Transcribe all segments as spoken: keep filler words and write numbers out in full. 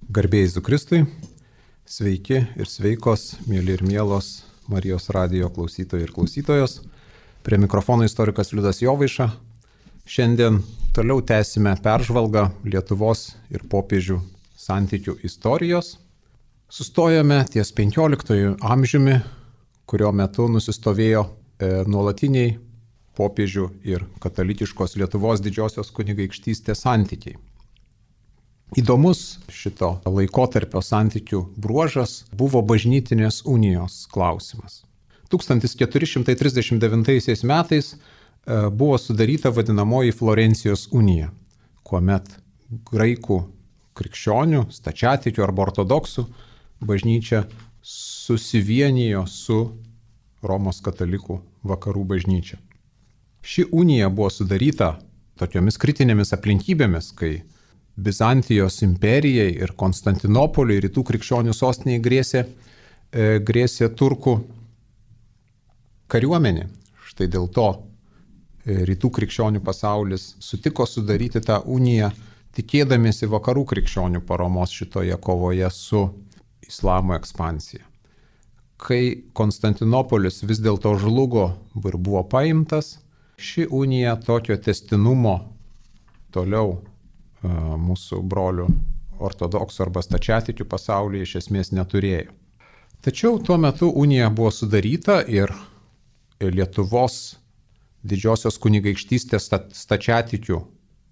Garbėjai Jėzui Kristui, sveiki ir sveikos, mėly ir mielos Marijos radijo klausytojai ir klausytojos. Prie mikrofono istorikas Liudas Jovaiša. Šiandien toliau tęsime peržvalgą Lietuvos ir popiežių santykių istorijos. Sustojome ties penkioliktuoju amžiumi, kurio metu nusistovėjo e, nuolatiniai popiežių ir katalikiškos Lietuvos didžiosios kunigaikštystės santykiai. Įdomus šito laikotarpio santykių bruožas buvo bažnytinės unijos klausimas. tūkstantis keturi šimtai trisdešimt devintaisiais metais buvo sudaryta vadinamoji Florencijos unija, kuomet graikų krikščionių, stačiatikių arba ortodoksų bažnyčia susivienijo su Romos katalikų vakarų bažnyčia. Ši unija buvo sudaryta tokiomis kritinėmis aplinkybėmis, kai Bizantijos imperijai ir Konstantinopoliui rytų krikščionių sostiniai grėsė, e, grėsė turkų kariuomenė. Štai dėl to e, rytų krikščionių pasaulis sutiko sudaryti tą uniją, tikėdamiesi vakarų krikščionių paramos šitoje kovoje su islamo ekspansija. Kai Konstantinopolis vis dėlto žlugo ir buvo paimtas, ši unija tokio tęstinumo toliau mūsų brolių ortodoksų arba stačiatikių pasaulyje iš esmės neturėjo. Tačiau tuo metu unija buvo sudaryta ir Lietuvos didžiosios kunigaikštystės stačiatikių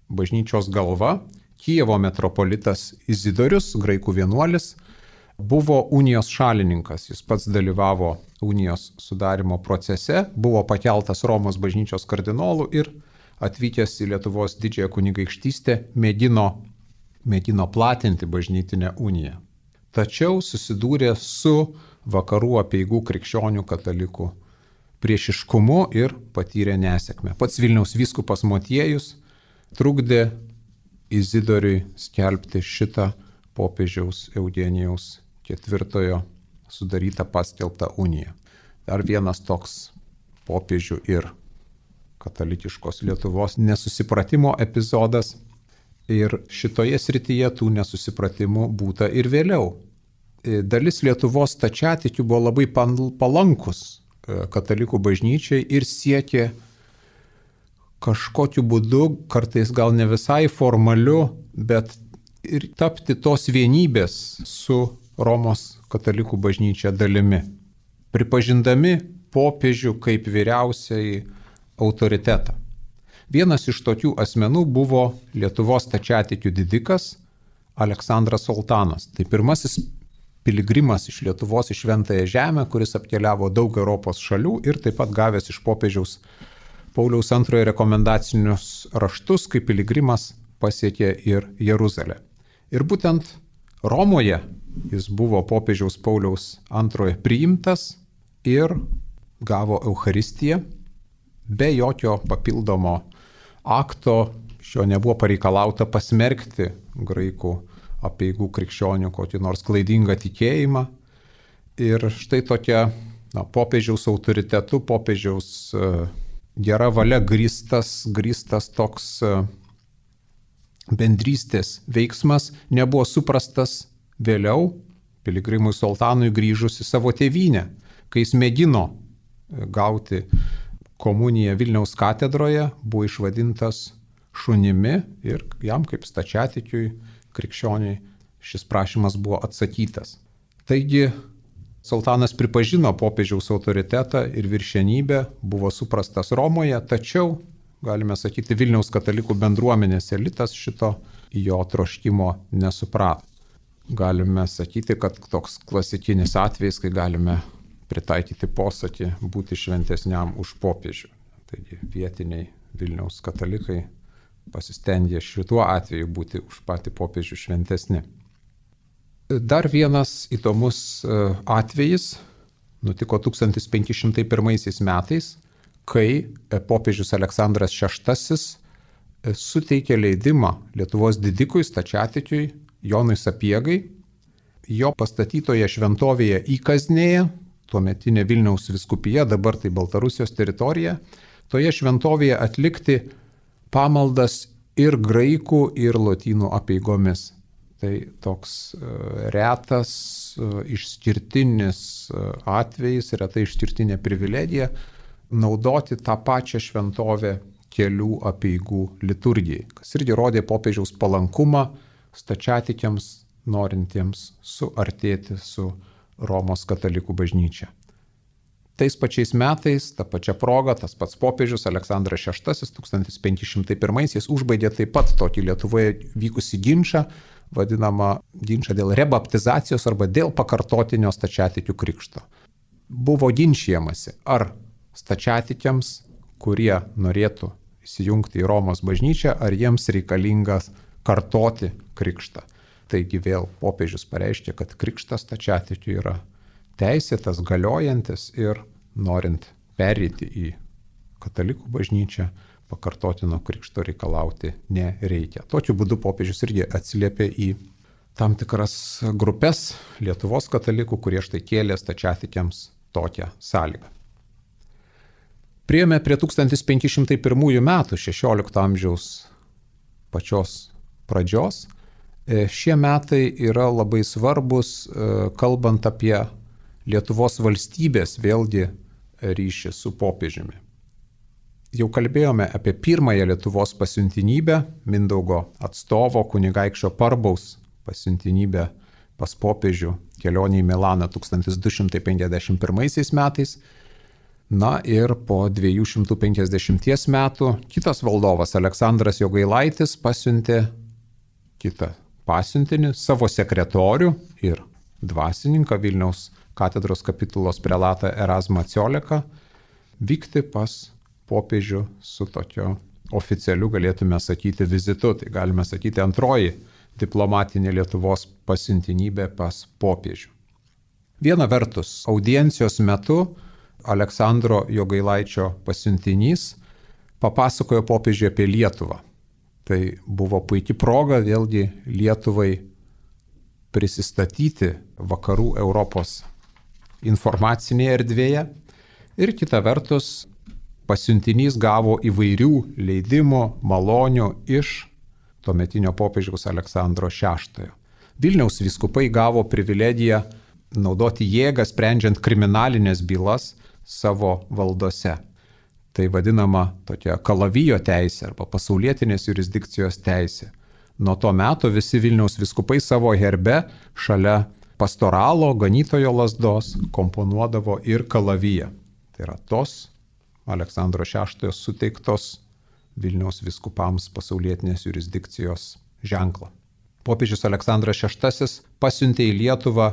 bažnyčios galva, Kijevo metropolitas Izidorius, graikų vienuolis, buvo unijos šalininkas. Jis pats dalyvavo unijos sudarimo procese, buvo pakeltas Romos bažnyčios kardinolų ir atvykęs į Lietuvos didžiąją kunigaikštystę mėgino, mėgino platinti bažnytinę uniją. Tačiau susidūrė su vakarų apeigų krikščionių katalikų priešiškumu ir patyrė nesėkmę. Pats Vilniaus vyskupas Motiejus trukdė Izidoriui skelbti šitą popiežiaus Eugenijaus ketvirtojo sudarytą paskelbtą uniją. Dar vienas toks popiežių ir katalikiškos Lietuvos nesusipratimo epizodas, ir šitoje srityje tų nesusipratimų būta ir vėliau. Dalis Lietuvos stačiatikių buvo labai palankus katalikų bažnyčiai ir siekė kažkokiu būdu, kartais gal ne visai formaliu, bet ir tapti tos vienybės su Romos katalikų bažnyčia dalimi, pripažindami popiežių kaip vyriausiai autoritetą. Vienas iš tokių asmenų buvo Lietuvos stačiatikių didikas Aleksandras Soltanas. Tai pirmasis piligrimas iš Lietuvos į Šventąją Žemę, kuris apkeliavo daug Europos šalių ir taip pat gavęs iš popiežiaus Pauliaus antrojo rekomendacinius raštus, kaip piligrimas pasiekė ir Jeruzalę. Ir būtent Romoje jis buvo popiežiaus Pauliaus antrojo priimtas ir gavo Eucharistiją. Be jokio papildomo akto šio nebuvo pareikalauta pasmerkti graikų apeigų krikščionių kokį nors klaidingą tikėjimą. Ir štai tokia na, popiežiaus autoritetu, popiežiaus uh, gera valia grįstas, grįstas toks uh, bendrystės veiksmas nebuvo suprastas vėliau piligrimui Soltanui grįžus į savo tėvynę, kai jis mėgino gauti komuniją Vilniaus katedroje, buvo išvadintas šunimi ir jam kaip stačiatikiui krikščioniui šis prašymas buvo atsakytas. Taigi Soltanas pripažino popiežiaus autoritetą ir viršenybę, buvo suprastas Romoje, tačiau, galime sakyti, Vilniaus katalikų bendruomenės elitas šito jo troškimo nesuprato. Galime sakyti, kad toks klasikinis atvejis, kai galime pritaikyti posakį būti šventesniam už popiežių. Taigi vietiniai Vilniaus katalikai pasistengė šituo atveju būti už patį popiežių šventesni. Dar vienas įdomus atvejis nutiko tūkstantis penki šimtai pirmaisiais metais, kai popiežius Aleksandras šeštasis suteikė leidimą Lietuvos didikui stačiatikiui Jonui Sapiegai, jo pastatytoje šventovėje Įkaznėje, tuometinė Vilniaus vyskupija, dabar tai Baltarusijos teritorija, toje šventovėje atlikti pamaldas ir graikų, ir lotynų apeigomis. Tai toks retas, išskirtinis atvejis, reta išskirtinė privilegija naudoti tą pačią šventovę kelių apeigų liturgijai, kas irgi rodė popiežiaus palankumą stačiatikiams norintiems suartėti su Romos katalikų bažnyčia. Tais pačiais metais, tą pačią progą, tas pats popiežius Aleksandras šeštasis tūkstantis penki šimtai pirmaisiais užbaigė taip pat tokį Lietuvoje vykusį ginčą, vadinamą ginčą dėl rebaptizacijos arba dėl pakartotinio stačiatikių krikšto. Buvo ginčijamasi, ar stačiatikiams, kurie norėtų įsijungti į Romos bažnyčią, ar jiems reikalingas kartoti krikštą. Taigi vėl popiežius pareiškė, kad krikštas stačiatikių yra teisėtas, galiojantis ir norint pereiti į katalikų bažnyčią, pakartotino krikšto reikalauti nereikia. Tokiu būdu popiežius irgi atsiliepė į tam tikras grupės Lietuvos katalikų, kurie štai kėlė stačiatikiams tokią sąlygą. Priėjome prie tūkstantis penki šimtai pirmųjų metų, šešiolikto amžiaus pačios pradžios. Šie metai yra labai svarbus, kalbant apie Lietuvos valstybės vėlgi ryšį su popiežiumi. Jau kalbėjome apie pirmąją Lietuvos pasiuntinybę, Mindaugo atstovo kunigaikščio Parbaus pasiuntinybę pas popiežių kelionė į Milaną tūkstantis du šimtai penkiasdešimt pirmaisiais metais. Na ir po dviejų šimtų penkiasdešimties metų kitas valdovas Aleksandras Jogailaitis pasiuntė kitą pasiuntinį, savo sekretorių ir dvasininką Vilniaus katedros kapitulos prelatą Erazmą Cioleką vykti pas popiežių su tokio oficialiu, galėtume sakyti, vizitu. Tai galime sakyti antroji diplomatinė Lietuvos pasiuntinybė pas popiežių. Viena vertus, audiencijos metu Aleksandro Jogailaičio pasiuntinys papasakojo popiežiui apie Lietuvą. Tai buvo puikia proga vėlgi Lietuvai prisistatyti vakarų Europos informacinėje erdvėje ir kita vertus pasiuntinys gavo įvairių leidimų, malonių iš tuometinio popiežiaus Aleksandro šeštojo. Vilniaus vyskupai gavo privilegiją naudoti jėgą sprendžiant kriminalinės bylas savo valdose. Tai vadinama tokia kalavijo teisė arba pasaulietinės jurisdikcijos teisė. Nuo to meto visi Vilniaus vyskupai savo herbe šalia pastoralo, ganytojo lazdos komponuodavo ir kalaviją. Tai yra tos Aleksandro šeštojo suteiktos Vilniaus vyskupams pasaulietinės jurisdikcijos ženklą. Popiežius Aleksandras šeštasis pasiuntė į Lietuvą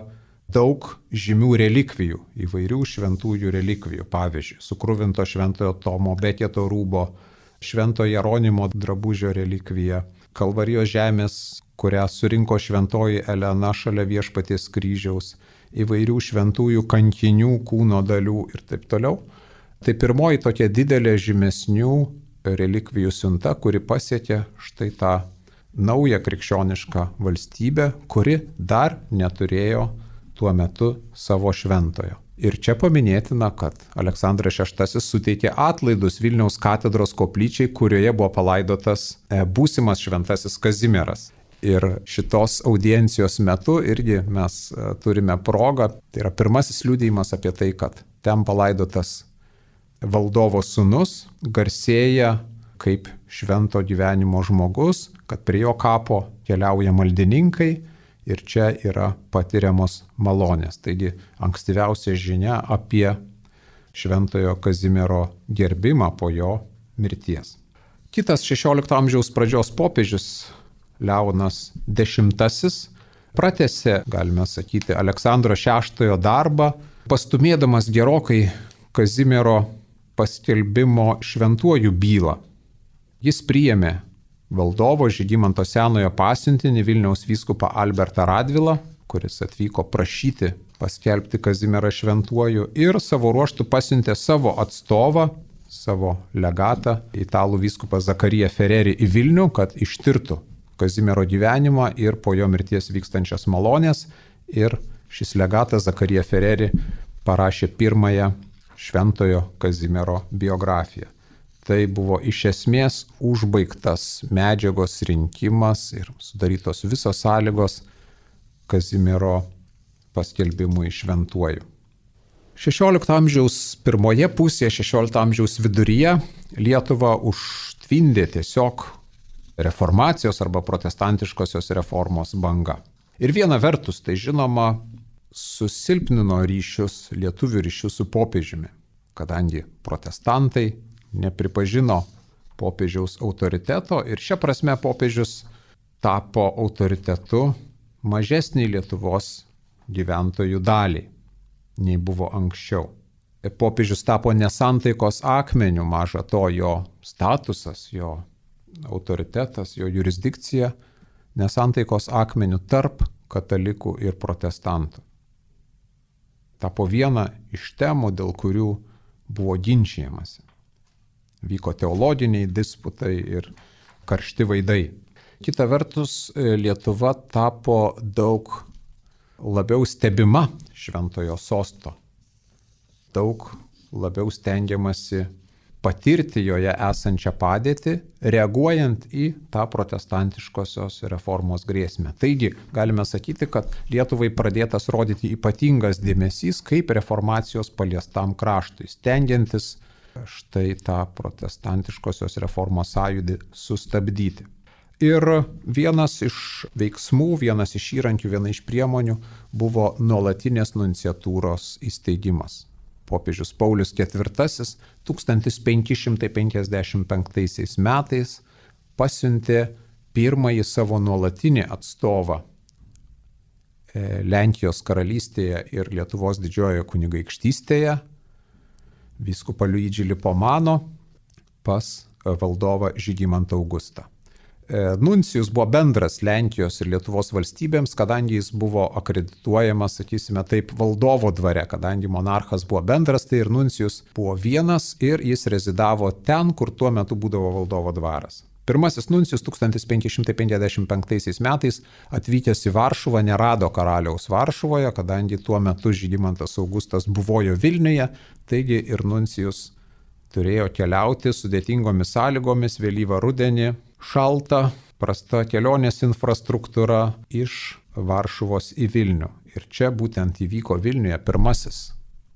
daug žymių relikvijų, įvairių šventųjų relikvijų. Pavyzdžiui, sukruvinto šventojo Tomo Beketo rūbo, švento Jeronimo drabužio relikvija, Kalvarijos žemės, kurią surinko šventoji Elena šalia Viešpaties kryžiaus, įvairių šventųjų kankinių kūno dalių ir taip toliau. Tai pirmoji tokia didelė žymesnių relikvijų siunta, kuri pasiekė štai tą naują krikščionišką valstybę, kuri dar neturėjo tuo metu savo šventojo. Ir čia paminėtina, kad Aleksandras šeštasis suteikė atlaidus Vilniaus katedros koplyčiai, kurioje buvo palaidotas būsimas šventasis Kazimieras. Ir šitos audiencijos metu irgi mes turime progą, tai yra pirmasis liudijimas apie tai, kad ten palaidotas valdovo sūnus garsėja kaip švento gyvenimo žmogus, kad prie jo kapo keliauja maldininkai ir čia yra patiriamos malonės. Taigi ankstyviausia žinia apie šventojo Kazimiero gerbimą po jo mirties. Kitas šešiolikto amžiaus pradžios popiežius Leonas dešimtasis pratęsė, galime sakyti, Aleksandro šeštojo darbą, pastumėdamas gerokai Kazimiero paskelbimo šventuoju bylą. Jis priėmė valdovo Žygimanto senojo pasiuntinį Vilniaus vyskupą Albertą Radvilą, kuris atvyko prašyti paskelbti Kazimierą šventuoju ir savo ruožtų pasiuntė savo atstovą, savo legatą, italų vyskupą Zakariją Ferreri į Vilnių, kad ištirtų Kazimiero gyvenimą ir po jo mirties vykstančias malonės. Ir šis legatas Zakarija Ferreri parašė pirmąją šventojo Kazimiero biografiją. Tai buvo iš esmės užbaigtas medžiagos rinkimas ir sudarytos visos sąlygos Kazimiero paskelbimui šventuoju. šešiolikto amžiaus pirmoje pusėje, šešiolikto amžiaus viduryje Lietuvą užtvindė tiesiog reformacijos arba protestantiškosios reformos banga. Ir viena vertus, tai žinoma, susilpnino ryšius, lietuvių ryšius su popiežiumi, kadangi protestantai nepripažino popiežiaus autoriteto ir šia prasme popiežius tapo autoritetu mažesniai Lietuvos gyventojų daliai, nei buvo anksčiau. Popiežius tapo nesantaikos akmeniu, maža to jo statusas, jo autoritetas, jo jurisdikcija nesantaikos akmeniu tarp katalikų ir protestantų. Tapo viena iš temų, dėl kurių buvo ginčijamasi. Vyko teologiniai disputai ir karšti vaidai. Kita vertus, Lietuva tapo daug labiau stebima šventojo sosto. Daug labiau stengiamasi patirti joje esančią padėtį, reaguojant į tą protestantiškosios reformos grėsmę. Taigi, galime sakyti, kad Lietuvai pradėtas rodyti ypatingas dėmesys kaip reformacijos paliestam kraštui, stengiantis štai tą protestantiškosios reformos sąjūdį sustabdyti. Ir vienas iš veiksmų, vienas iš įrankių, viena iš priemonių buvo nuolatinės nunciatūros įsteigimas. Popiežius Paulius ketvirtasis tūkstantis penki šimtai penkiasdešimt penktaisiais metais pasiuntė pirmąjį savo nuolatinį atstovą Lenkijos karalystėje ir Lietuvos didžiojoje kunigaikštystėje, vyskupą Luidžį Lipomano, pas valdovą Žygimantą Augustą. Nuncijus buvo bendras Lenkijos ir Lietuvos valstybėms, kadangi jis buvo akredituojamas, sakysime taip, valdovo dvare, kadangi monarchas buvo bendras, tai ir nuncijus buvo vienas ir jis rezidavo ten, kur tuo metu būdavo valdovo dvaras. Pirmasis nuncijus tūkstantis penki šimtai penkiasdešimt penktaisiais metais atvykęs į Varšuvą nerado karaliaus Varšuvoje, kadangi tuo metu Žygimantas Augustas buvojo Vilniuje, taigi ir nuncijus turėjo keliauti sudėtingomis sąlygomis vėlyvą rudenį, šalta, prasta kelionės infrastruktūra iš Varšuvos į Vilnių. Ir čia būtent įvyko Vilniuje pirmasis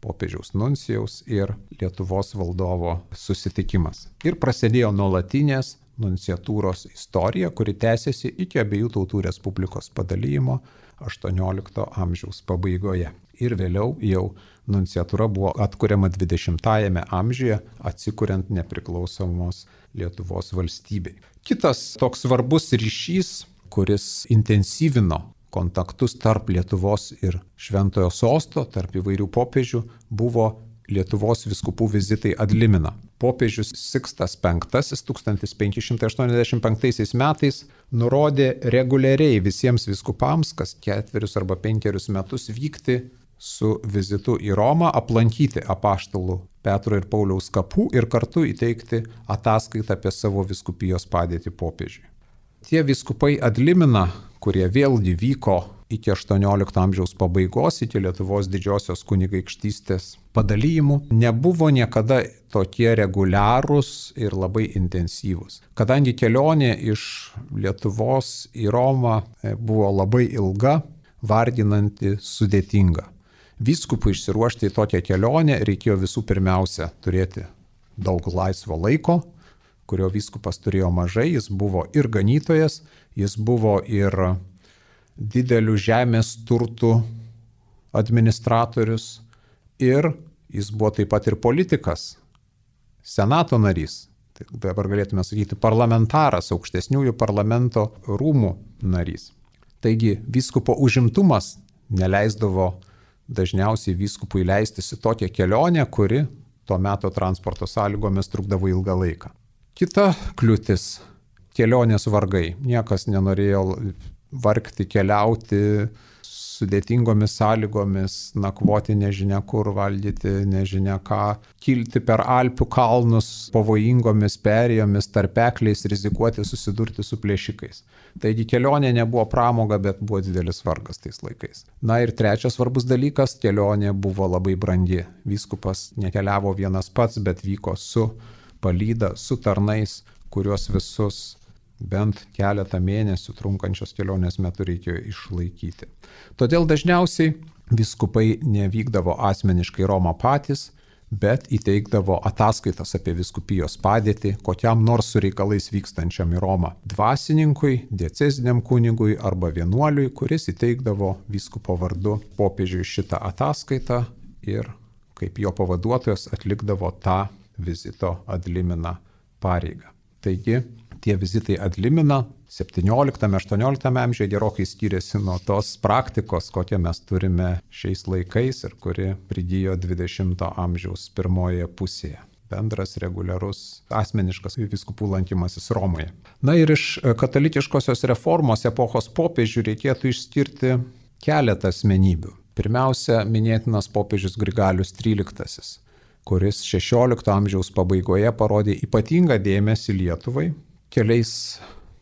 popiežiaus nuncijaus ir Lietuvos valdovo susitikimas. Ir prasidėjo nuolatinės nunciatūros istorija, kuri tęsiasi iki abiejų tautų respublikos padalijimo aštuoniolikto amžiaus pabaigoje. Ir vėliau jau nunciatūra buvo atkuriama dvidešimtajame amžiuje, atsikuriant nepriklausomos Lietuvos valstybei. Kitas toks svarbus ryšys, kuris intensyvino kontaktus tarp Lietuvos ir Šventojo sosto, tarp įvairių popiežių, buvo Lietuvos vyskupų vizitai ad limina. Popiežius Sikstas penktasis tūkstantis penki šimtai aštuoniasdešimt penktaisiais metais nurodė reguliariai visiems vyskupams kas ketverius arba penkerius metus vykti su vizitu į Romą, aplankyti apaštalų Petro ir Pauliaus kapų ir kartu įteikti ataskaitą apie savo vyskupijos padėtį popiežiui. Tie vyskupai ad limina, kurie vėlgi vyko iki aštuoniolikto amžiaus pabaigos, iki Lietuvos didžiosios kunigaikštystės padalijimų, nebuvo niekada tokie reguliarūs ir labai intensyvūs. Kadangi kelionė iš Lietuvos į Romą buvo labai ilga, varginanti, sudėtinga. Vyskupui išsiruošti į tokią kelionę reikėjo visų pirmiausia turėti daug laisvo laiko, kurio vyskupas turėjo mažai, jis buvo ir ganytojas, jis buvo ir didelių žemės turtų administratorius ir jis buvo taip pat ir politikas, senato narys, tai dabar galėtume sakyti parlamentaras, aukštesniųjų parlamento rūmų narys. Taigi vyskupo užimtumas neleisdavo dažniausiai vyskupui leistis į tokią kelionę, kuri tuo metu transporto sąlygomis trukdavo ilgą laiką. Kita kliūtis – kelionės vargai. Niekas nenorėjo vargti, keliauti sudėtingomis sąlygomis, nakvoti nežinia kur, valdyti nežinia ką, kilti per Alpių kalnus pavojingomis perėjomis, tarpekliais, rizikuoti susidurti su plėšikais. Taigi kelionė nebuvo pramoga, bet buvo didelis vargas tais laikais. Na ir trečias svarbus dalykas – kelionė buvo labai brangi. Vyskupas nekeliavo vienas pats, bet vyko su palyda su tarnais, kuriuos visus bent keletą mėnesių trunkančios kelionės metu reikėjo išlaikyti. Todėl dažniausiai vyskupai nevykdavo asmeniškai Romą patys, bet įteikdavo ataskaitas apie vyskupijos padėtį kokiam nors su reikalais vykstančiam į Romą dvasininkui, dieceziniam kunigui arba vienuoliui, kuris įteikdavo vyskupo vardu popiežiui šitą ataskaitą ir kaip jo pavaduotojas atlikdavo tą vizito ad limina pareigą. Taigi, tie vizitai ad limina septynioliktame aštuonioliktame amžiuje gerokai skiriasi nuo tos praktikos, kokią mes turime šiais laikais ir kuri prigijo dvidešimto amžiaus pirmoje pusėje. Bendras, reguliarus, asmeniškas vyskupų lankymasis Romoje. Na ir iš katalikiškosios reformos epochos popiežių reikėtų išskirti keletą asmenybių. Pirmiausia, minėtinas popiežius Grigalius tryliktasis, kuris šešiolikto amžiaus pabaigoje parodė ypatingą dėmesį Lietuvai keliais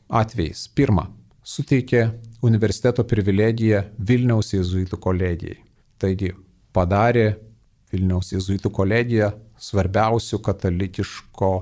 atvejais. Pirma, suteikė universiteto privilegiją Vilniaus jėzuitų kolegijai. Taigi, padarė Vilniaus jėzuitų kolegiją svarbiausių katalikiško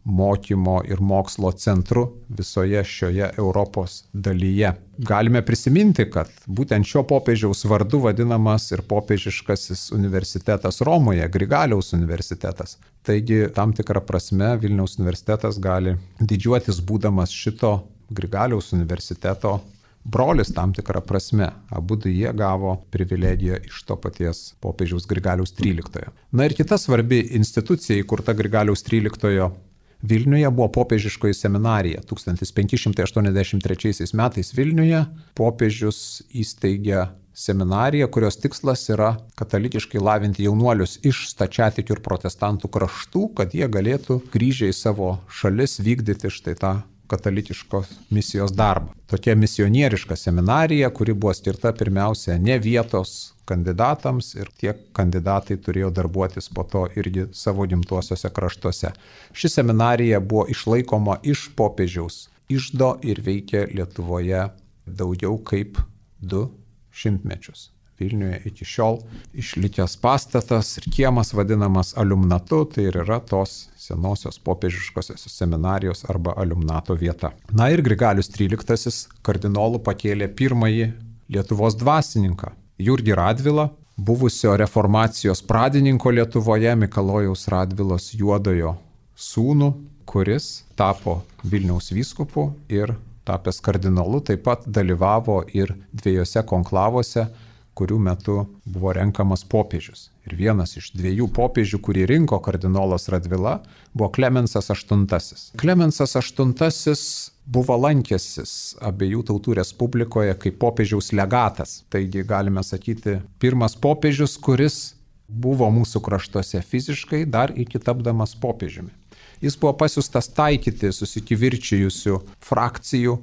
mokymo ir mokslo centru visoje šioje Europos dalyje. Galime prisiminti, kad būtent šio popiežiaus vardu vadinamas ir popiežiškasis universitetas Romoje, Grigaliaus universitetas. Taigi, tam tikrą prasme Vilniaus universitetas gali didžiuotis būdamas šito Grigaliaus universiteto brolis tam tikrą prasme. Abudu jie gavo privilegiją iš to paties popiežiaus Grigaliaus tryliktojo. Na ir kita svarbi institucija įkurta Grigaliaus tryliktojo Vilniuje buvo popiežiškoji seminarija. tūkstantis penki šimtai aštuoniasdešimt trečiaisiais metais Vilniuje popiežius įsteigė seminariją, kurios tikslas yra katalikiškai lavinti jaunuolius iš stačiatikių ir protestantų kraštų, kad jie galėtų grįžę į savo šalis vykdyti štai tą katalikiškos misijos darbą. Tokia misionieriška seminarija, kuri buvo skirta pirmiausia ne vietos kandidatams ir tie kandidatai turėjo darbuotis po to irgi savo gimtuosiuose kraštuose. Ši seminarija buvo išlaikoma iš popiežiaus iždo ir veikė Lietuvoje daugiau kaip du šimtmečius. Vilniuje iki šiol išlikęs pastatas ir kiemas vadinamas aliumnatu, tai ir yra tos senosios popiežiškosios seminarijos arba aliumnato vieta. Na ir Grigalius tryliktasis kardinolų pakėlė pirmąjį Lietuvos dvasininką, Jurgį Radvilą, buvusio reformacijos pradininko Lietuvoje, Mikalojaus Radvilos Juodojo sūnų, kuris tapo Vilniaus vyskupu ir tapęs kardinolu taip pat dalyvavo ir dviejose konklavose, kurių metu buvo renkamas popiežius. Ir vienas iš dviejų popiežių, kurį rinko kardinolas Radvila, buvo Klemensas aštuntasis. Klemensas aštuntasis buvo lankęsis abiejų tautų respublikoje kaip popiežiaus legatas. Taigi galime sakyti, pirmas popiežius, kuris buvo mūsų kraštuose fiziškai dar iki tapdamas popiežiumi. Jis buvo pasiųstas taikyti susikivirčijusių frakcijų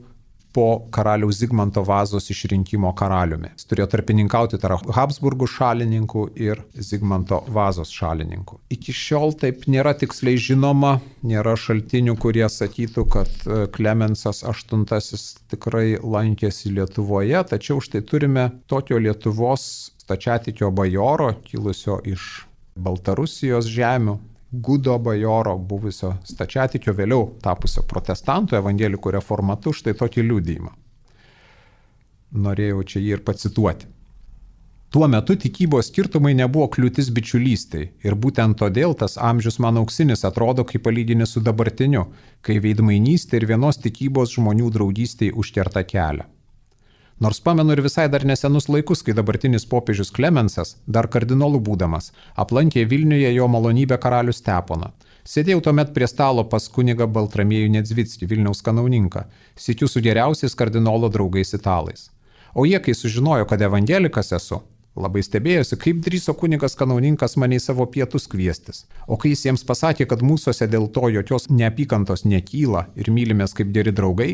po karaliaus Zigmanto Vazos išrinkimo karaliumi. Jis turėjo tarpininkauti tarp Habsburgų šalininkų ir Zigmanto Vazos šalininkų. Iki šiol taip nėra tiksliai žinoma, nėra šaltinių, kurie sakytų, kad Klemensas aštuntasis tikrai lankėsi Lietuvoje, tačiau štai turime tokio Lietuvos stačiatikio bajoro, kilusio iš Baltarusijos žemių, Gudo bajoro, buvusio stačiatikio, vėliau tapusio protestantų, evangelikų reformatu, štai tokį liudijimą. Norėjau čia jį ir pacituoti. Tuo metu tikybos skirtumai nebuvo kliūtis bičiulystei ir būtent todėl tas amžius man auksinis atrodo kaip palyginis su dabartiniu, kai veidmainystė ir vienos tikybos žmonių draugystei užkerta kelią. Nors pamenu ir visai dar nesenus laikus, kai dabartinis popiežius Klemensas, dar kardinolų būdamas, aplankė Vilniuje jo malonybę karalių Steponą. Sėdėjau tuomet prie stalo pas kunigą Baltramiejų Nedzvickį, Vilniaus kanauninką, sykiu su geriausiais kardinolo draugais italais. O jie, kai sužinojo, kad evangelikas esu, labai stebėjosi, kaip drįso kunigas kanauninkas mane į savo pietus kviestis. O kai jis jiems pasakė, kad mūsuose dėl to jokios neapykantos nekyla ir mylimės kaip geri draugai,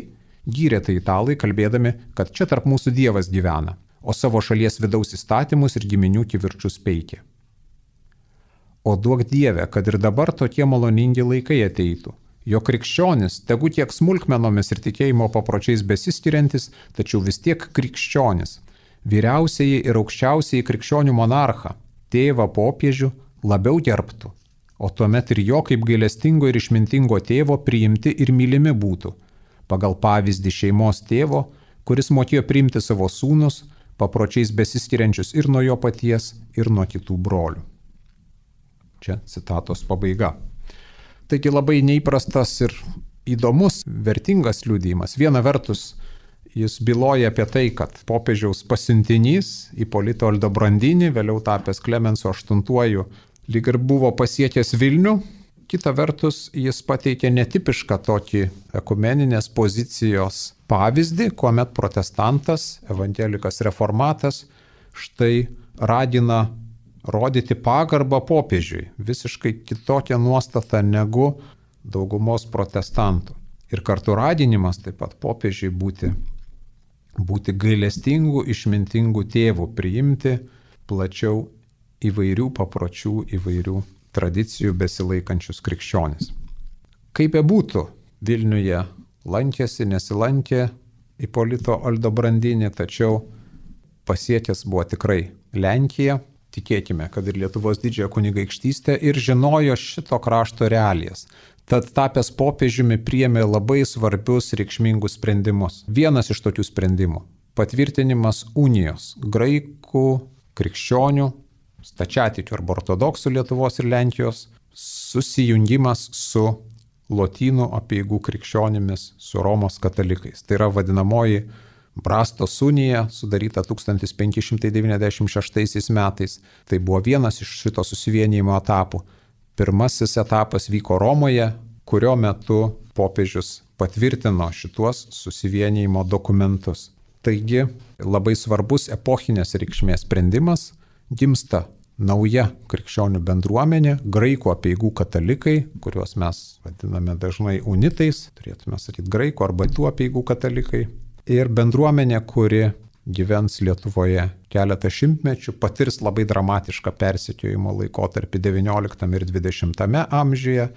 gyrė tai italai, kalbėdami, kad čia tarp mūsų Dievas gyvena, o savo šalies vidaus įstatymus ir giminių kivirčius peikė. O duok Dieve, kad ir dabar tokie maloningi laikai ateitų, jo krikščionis, tegu tiek smulkmenomis ir tikėjimo papročiais besiskiriantis, tačiau vis tiek krikščionis, vyriausiai ir aukščiausiai krikščionių monarchą, tėvą popiežių, labiau gerbtų, o tuomet ir jo kaip gailestingo ir išmintingo tėvo priimti ir mylimi būtų, pagal pavyzdį šeimos tėvo, kuris mokėjo priimti savo sūnus, papročiais besiskiriančius ir nuo jo paties, ir nuo kitų brolių. Čia citatos pabaiga. Taigi labai neįprastas ir įdomus, vertingas liudijimas. Viena vertus, jis byloja apie tai, kad popiežiaus pasiuntinys Ipolito Aldobrandini, vėliau tapęs Klemenso aštuntuoju, lyg ir buvo pasiekęs Vilnių. Kita vertus, jis pateikė netipišką tokį ekumeninės pozicijos pavyzdį, kuomet protestantas, evangelikas reformatas, štai ragina rodyti pagarbą popiežiui, visiškai kitokią nuostatą negu daugumos protestantų. Ir kartu raginimas taip pat popiežiui būti, būti gailestingų, išmintingų tėvų, priimti plačiau įvairių papročių, įvairių tradicijų besilaikančius krikščionis. Kaip bebūtų, Vilniuje lankėsi, nesilankė Ipolito Aldobrandini, tačiau pasiekęs buvo tikrai Lenkiją, tikėkime, kad ir Lietuvos didžiąją kunigaikštystę, ir žinojo šito krašto realijas. Tad tapęs popiežiumi priėmė labai svarbius reikšmingus sprendimus. Vienas iš tokių sprendimų – patvirtinimas unijos graikų, krikščionių, stačiatikių arba ortodoksų Lietuvos ir Lenkijos, susijungimas su lotynų apeigų krikščionimis, su Romos katalikais. Tai yra vadinamoji Brastos unija, sudaryta tūkstantis penki šimtai devyniasdešimt šeštaisiais metais. Tai buvo vienas iš šito susivienijimo etapų. Pirmasis etapas vyko Romoje, kurio metu popiežius patvirtino šituos susivienijimo dokumentus. Taigi labai svarbus epochinės reikšmės sprendimas. Gimsta nauja krikščionių bendruomenė, graikų apeigų katalikai, kuriuos mes vadiname dažnai unitais, turėtume sakyti graikų arba tų apeigų katalikai, ir bendruomenė, kuri gyvens Lietuvoje keletą šimtmečių, patirs labai dramatišką persekiojimo laikotarpį devynioliktame ir dvidešimtame amžiuje,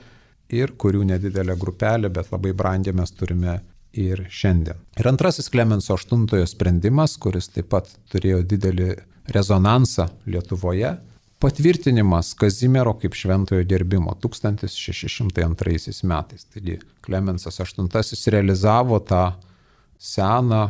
ir kurių nedidelė grupelė, bet labai brangią mes turime ir šiandien. Ir antrasis Klemenso aštuntojo sprendimas, kuris taip pat turėjo didelį rezonansą Lietuvoje, patvirtinimas Kazimiero kaip šventojo gerbimo tūkstantis šeši šimtai antraisiais metais. Taigi Klemensas aštuntasis realizavo tą seną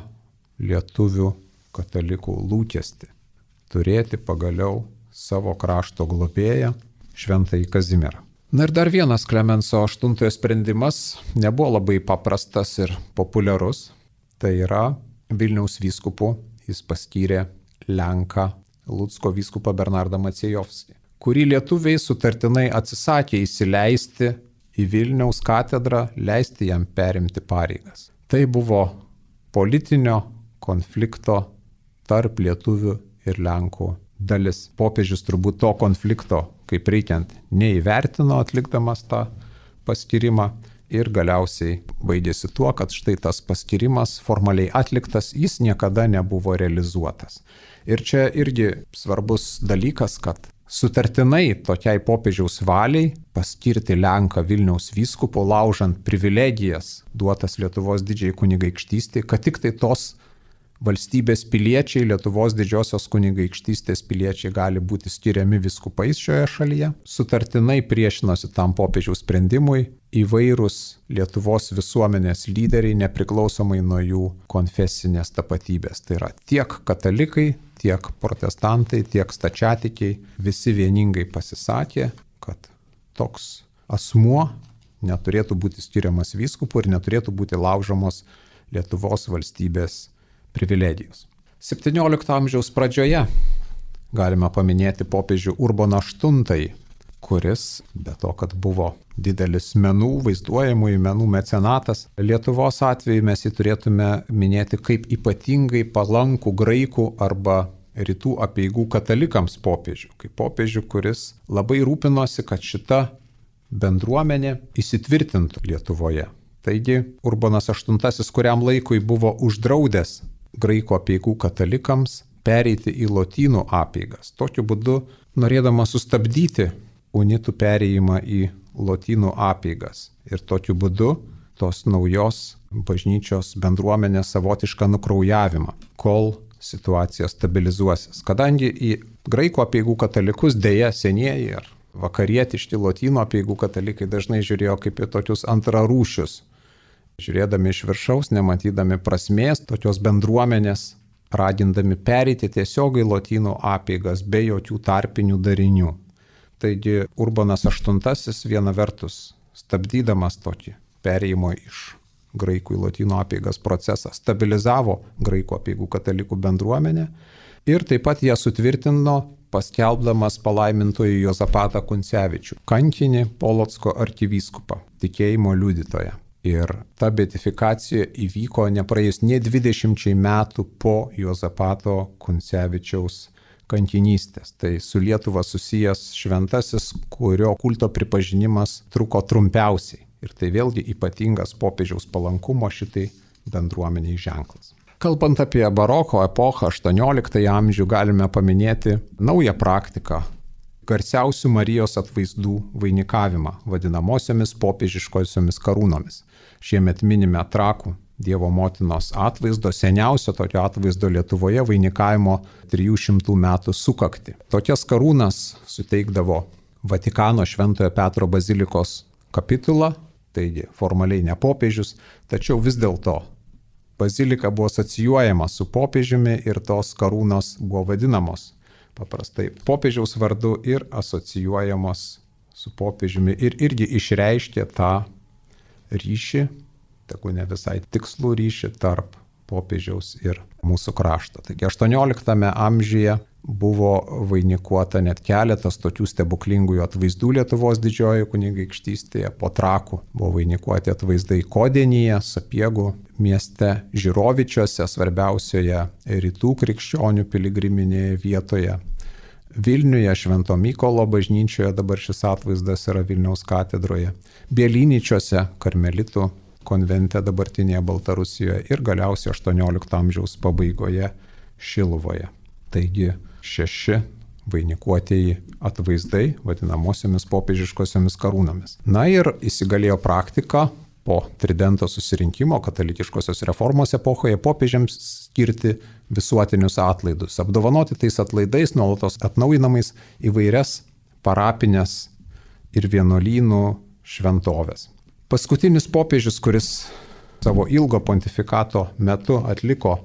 lietuvių katalikų lūkestį – turėti pagaliau savo krašto globėją šventąjį Kazimierą. Na ir dar vienas Klemenso aštuntojo sprendimas nebuvo labai paprastas ir populiarus. Tai yra Vilniaus vyskupu jis paskyrė Lenką Lucko vyskupą Bernardą Maciejovskį, kurį lietuviai sutartinai atsisakė įsileisti į Vilniaus katedrą, leisti jam perimti pareigas. Tai buvo politinio konflikto tarp lietuvių ir Lenkų dalis. Popiežius turbūt to konflikto, kaip reikiant, neįvertino atlikdamas tą paskyrimą ir galiausiai baigėsi tuo, kad štai tas paskyrimas formaliai atliktas, jis niekada nebuvo realizuotas. Ir čia irgi svarbus dalykas, kad sutartinai tokiai popiežiaus valiai paskirti Lenką Vilniaus vyskupu, laužant privilegijas duotas Lietuvos didžiai kunigaikštystei, kad tik tai tos valstybės piliečiai, Lietuvos didžiosios kunigaikštystės piliečiai gali būti skiriami vyskupais šioje šalyje. Sutartinai priešinosi tam popiežiaus sprendimui įvairūs Lietuvos visuomenės lyderiai, nepriklausomai nuo jų konfesinės tapatybės. Tai yra tiek katalikai, tiek protestantai, tiek stačiatikiai, visi vieningai pasisakė, kad toks asmuo neturėtų būti skiriamas vyskupu ir neturėtų būti laužomos Lietuvos valstybės privilegijos. septyniolikto amžiaus pradžioje galime paminėti popiežių Urboną aštuntąjį, kuris, be to, kad buvo didelis menų, vaizduojamųjų menų mecenatas, Lietuvos atveju mes jį turėtume minėti kaip ypatingai palankų graikų arba rytų apeigų katalikams popiežių, kaip popiežių, kuris labai rūpinosi, kad šita bendruomenė įsitvirtintų Lietuvoje. Taigi Urbonas aštuntasis kuriam laikui buvo uždraudęs graikų apeigų katalikams pereiti į lotynų apeigas. Tokiu būdu, norėdamas sustabdyti unitų perėjimą į lotynų apeigas ir tokiu būdu tos naujos bažnyčios bendruomenės savotišką nukraujavimą, kol situacija stabilizuosis. Kadangi į graikų apeigų katalikus dėja senieji ar vakarietiški lotynų apeigų katalikai dažnai žiūrėjo kaip į tokius antrarūšius. Žiūrėdami iš viršaus, nematydami prasmės tokios bendruomenės, ragindami pereiti tiesiogai lotynų apeigas be jokių tarpinių darinių. Taigi Urbanas aštuntasis viena vertus, stabdydamas tokį perėjimo iš graikų į lotynų apeigas procesą, stabilizavo graikų apeigų katalikų bendruomenę ir taip pat ją sutvirtino, paskelbdamas palaimintojų Juozapatą Kuncevičių, kankinį Polocko arkivyskupą, tikėjimo liudytoją. Ir ta beatifikacija įvyko nepraėjus nė dvidešimčiai metų po Juozapato Kuncevičiaus kankinystės. Tai su Lietuva susijęs šventasis, kurio kulto pripažinimas truko trumpiausiai. Ir tai vėlgi ypatingas popiežiaus palankumo šitai bendruomeniai ženklas. Kalbant apie baroko epochą, aštuonioliktąjį amžių, galime paminėti naują praktiką – garsiausių Marijos atvaizdų vainikavimą, vadinamosiomis popiežiškosiomis karūnomis. Šiemet minime Trakų Dievo motinos atvaizdo, seniausio tokio atvaizdo Lietuvoje vainikavimo trijų šimtų metų sukaktį. Tokias karūnas suteikdavo Vatikano Šventojo Petro bazilikos kapitula, taigi formaliai ne popiežius, tačiau vis dėlto bazilika buvo asocijuojama su popiežiumi ir tos karūnos buvo vadinamos paprastai popiežiaus vardu ir asocijuojamos su popiežiumi ir irgi išreiškė tą ryšį, tegu ne visai tikslų ryšį tarp popiežiaus ir mūsų krašto. Taigi aštuonioliktame amžiuje buvo vainikuota net keletas tokių stebuklingųjų atvaizdų Lietuvos didžiojoje kunigaikštystėje. Po Trakų buvo vainikuoti atvaizdai Kodienyje, Sapiegų mieste, Žirovičiuose, svarbiausioje rytų krikščionių piligriminėje vietoje. Vilniuje, Švento Mykolo bažnyčioje, dabar šis atvaizdas yra Vilniaus katedroje. Bielynyčiuose, karmelitų konvente dabartinėje Baltarusijoje ir galiausiai aštuoniolikto amžiaus pabaigoje Šiluvoje. Taigi šeši vainikuotieji atvaizdai vadinamosiomis popiežiškosiomis karūnomis. Na ir įsigalėjo praktika po Tridento susirinkimo katalikiškosios reformos epochoje popiežiams skirti visuotinius atlaidus, apdovanoti tais atlaidais nuolatos atnaujinamais įvairias parapinės ir vienuolynų šventovės. Paskutinis popiežius, kuris savo ilgo pontifikato metu atliko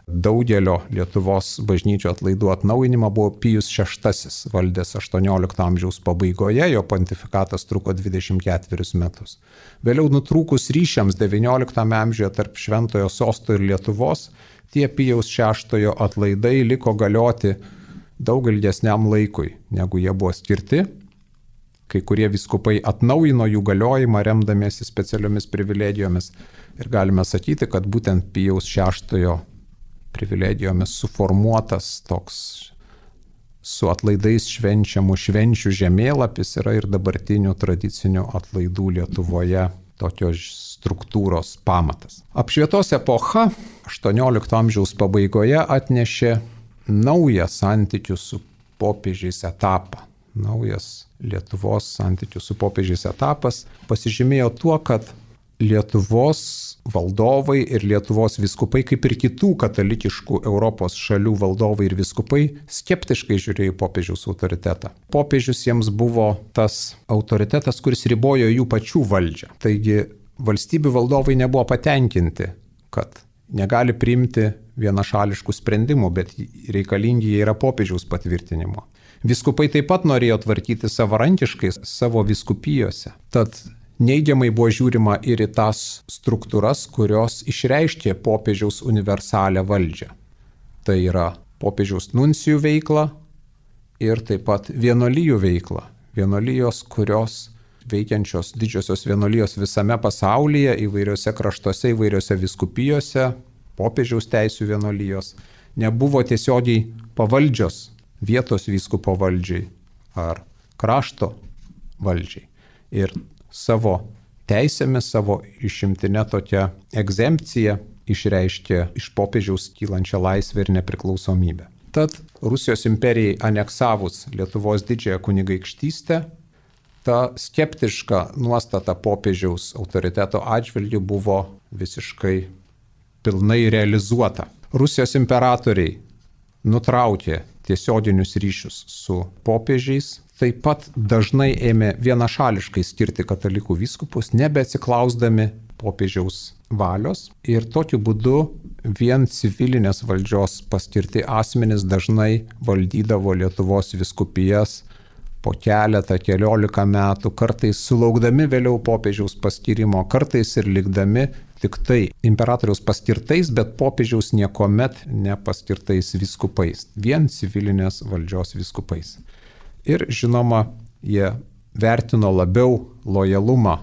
daugelio Lietuvos bažnyčių atlaidų atnaujinimą, buvo Pijus šeštasis, valdęs aštuoniolikto amžiaus pabaigoje, jo pontifikatas truko dvidešimt ketverius metus. Vėliau nutrūkus ryšiams devynioliktame amžiuje tarp Šventojo Sosto ir Lietuvos, tie Pijaus šeštojo atlaidai liko galioti daug ilgesniam laikui, negu jie buvo skirti. Kai kurie vyskupai atnaujino jų galiojimą remdamiesi specialiomis privilegijomis ir galime sakyti, kad būtent Pijaus šeštojo privilegijomis suformuotas toks su atlaidais švenčiamų švenčių žemėlapis yra ir dabartinių tradicinių atlaidų Lietuvoje tokios struktūros pamatas. Apšvietos epocha aštuoniolikto amžiaus pabaigoje atnešė naują santykių su popiežiais etapą. Naujas Lietuvos santykių su popiežiais etapas pasižymėjo tuo, kad Lietuvos valdovai ir Lietuvos vyskupai, kaip ir kitų katalikiškų Europos šalių valdovai ir vyskupai, skeptiškai žiūrėjo į popiežiaus autoritetą. Popiežius jiems buvo tas autoritetas, kuris ribojo jų pačių valdžią. Taigi valstybių valdovai nebuvo patenkinti, kad negali priimti vienašališkų sprendimų, bet reikalingi jie yra popiežiaus patvirtinimo. Vyskupai taip pat norėjo tvarkyti savarankiškai savo vyskupijose. Tad neigiamai buvo žiūrima ir į tas struktūras, kurios išreiškė popiežiaus universalią valdžią. Tai yra popiežiaus nuncijų veikla ir taip pat vienuolijų veikla. Vienuolijos, kurios veikiančios didžiosios vienuolijos visame pasaulyje, įvairiose kraštuose, įvairiose vyskupijose, popiežiaus teisių vienuolijos, nebuvo tiesiogiai pavaldžios vietos vyskupo valdžiai ar krašto valdžiai. Ir savo teisėmis, savo išimtinę tokią egzempciją išreiškė iš popiežiaus kylančią laisvę ir nepriklausomybę. Tad Rusijos imperijai aneksavus Lietuvos didžiąją kunigaikštystę, ta skeptiška nuostata popiežiaus autoriteto atžvilgiu buvo visiškai pilnai realizuota. Rusijos imperatoriai nutraukė tiesioginius ryšius su popiežiais, taip pat dažnai ėmė vienašališkai skirti katalikų vyskupus, nebeatsiklausdami popiežiaus valios, ir tokiu būdu vien civilinės valdžios paskirti asmenys dažnai valdydavo Lietuvos vyskupijas po keletą, keliolika metų, kartais sulaukdami vėliau popiežiaus paskirimo, kartais ir likdami tik tai imperatoriaus paskirtais, bet popiežiaus niekuomet nepaskirtais vyskupais, vien civilinės valdžios vyskupais. Ir žinoma, jie vertino labiau lojalumą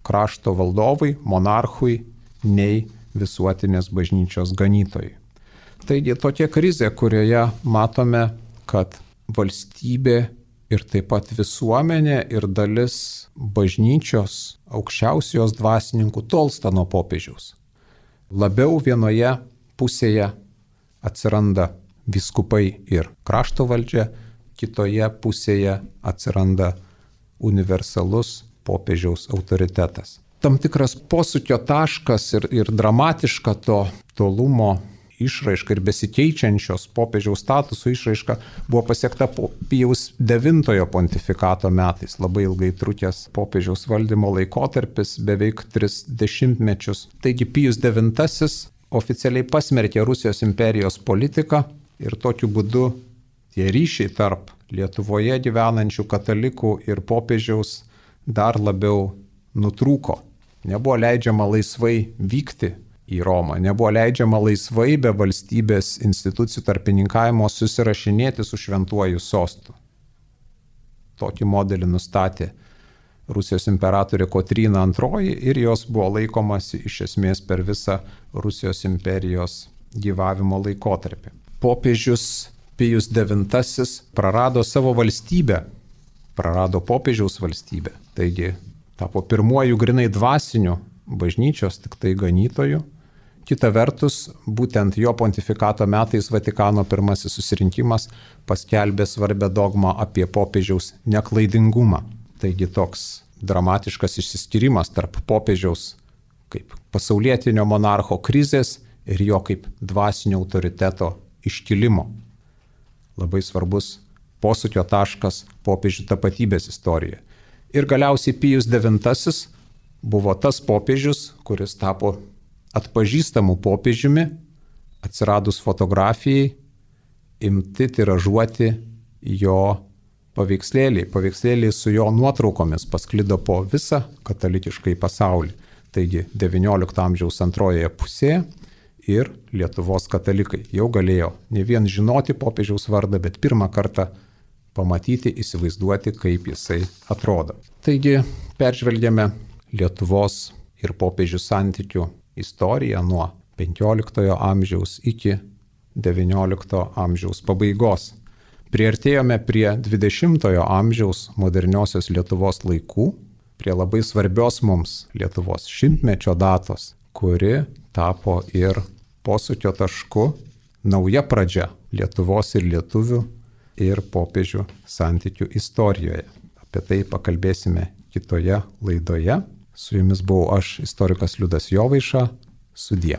krašto valdovui, monarchui, nei visuotinės bažnyčios ganytojai. Taigi tokia krizė, kurioje matome, kad valstybė ir taip pat visuomenė ir dalis bažnyčios aukščiausios dvasininkų tolsta nuo popiežiaus. Labiau vienoje pusėje atsiranda vyskupai ir krašto valdžia, kitoje pusėje atsiranda universalus popiežiaus autoritetas. Tam tikras posūkio taškas ir, ir dramatiška to tolumo išraiška ir besikeičiančios popiežiaus statuso išraiška buvo pasiekta Pijaus devintojo pontifikato metais, labai ilgai trukęs popiežiaus valdymo laikotarpis, beveik tris dešimtmečius. Taigi Pijus devintasis oficialiai pasmerkė Rusijos imperijos politiką ir tokiu būdu tie ryšiai tarp Lietuvoje gyvenančių katalikų ir popiežiaus dar labiau nutrūko. Nebuvo leidžiama laisvai vykti į Romą, nebuvo leidžiama laisvai be valstybės institucijų tarpininkavimo susirašinėti su šventuoju sostu. Tokį modelį nustatė Rusijos imperatorė Kotryna antroji ir jos buvo laikomasi iš esmės per visą Rusijos imperijos gyvavimo laikotarpį. Popiežius Pijus devintasis prarado savo valstybę, prarado popiežiaus valstybę, taigi tapo pirmuoju grinai dvasiniu bažnyčios tik tai ganytoju. Kita vertus, būtent jo pontifikato metais Vatikano pirmasis susirinkimas paskelbė svarbę dogmą apie popiežiaus neklaidingumą. Taigi toks dramatiškas išsiskyrimas tarp popiežiaus kaip pasaulietinio monarcho krizės ir jo kaip dvasinio autoriteto iškilimo. Labai svarbus posūkio taškas popiežių tapatybės istorijoje. Ir galiausiai Pijus devintasis buvo tas popiežius, kuris tapo atpažįstamų popiežiumi, atsiradus fotografijai, imti tiražuoti jo paveikslėliai. Paveikslėliai su jo nuotraukomis pasklido po visą katalikiškai pasaulį. Taigi devyniolikto amžiaus antrojoje pusėje ir Lietuvos katalikai jau galėjo ne vien žinoti popiežiaus vardą, bet pirmą kartą pamatyti, įsivaizduoti, kaip jisai atrodo. Taigi peržvelgėme Lietuvos ir popiežių santykių istoriją nuo penkioliktojo amžiaus iki devyniolikto amžiaus pabaigos. Priartėjome prie dvidešimtojo amžiaus moderniosios Lietuvos laikų, prie labai svarbios mums Lietuvos šimtmečio datos, kuri tapo ir posūkio tašku, nauja pradžia Lietuvos ir lietuvių ir popiežių santykių istorijoje. Apie tai pakalbėsime kitoje laidoje. Su jumis buvau aš, istorikas Liudas Jovaiša. Sudie.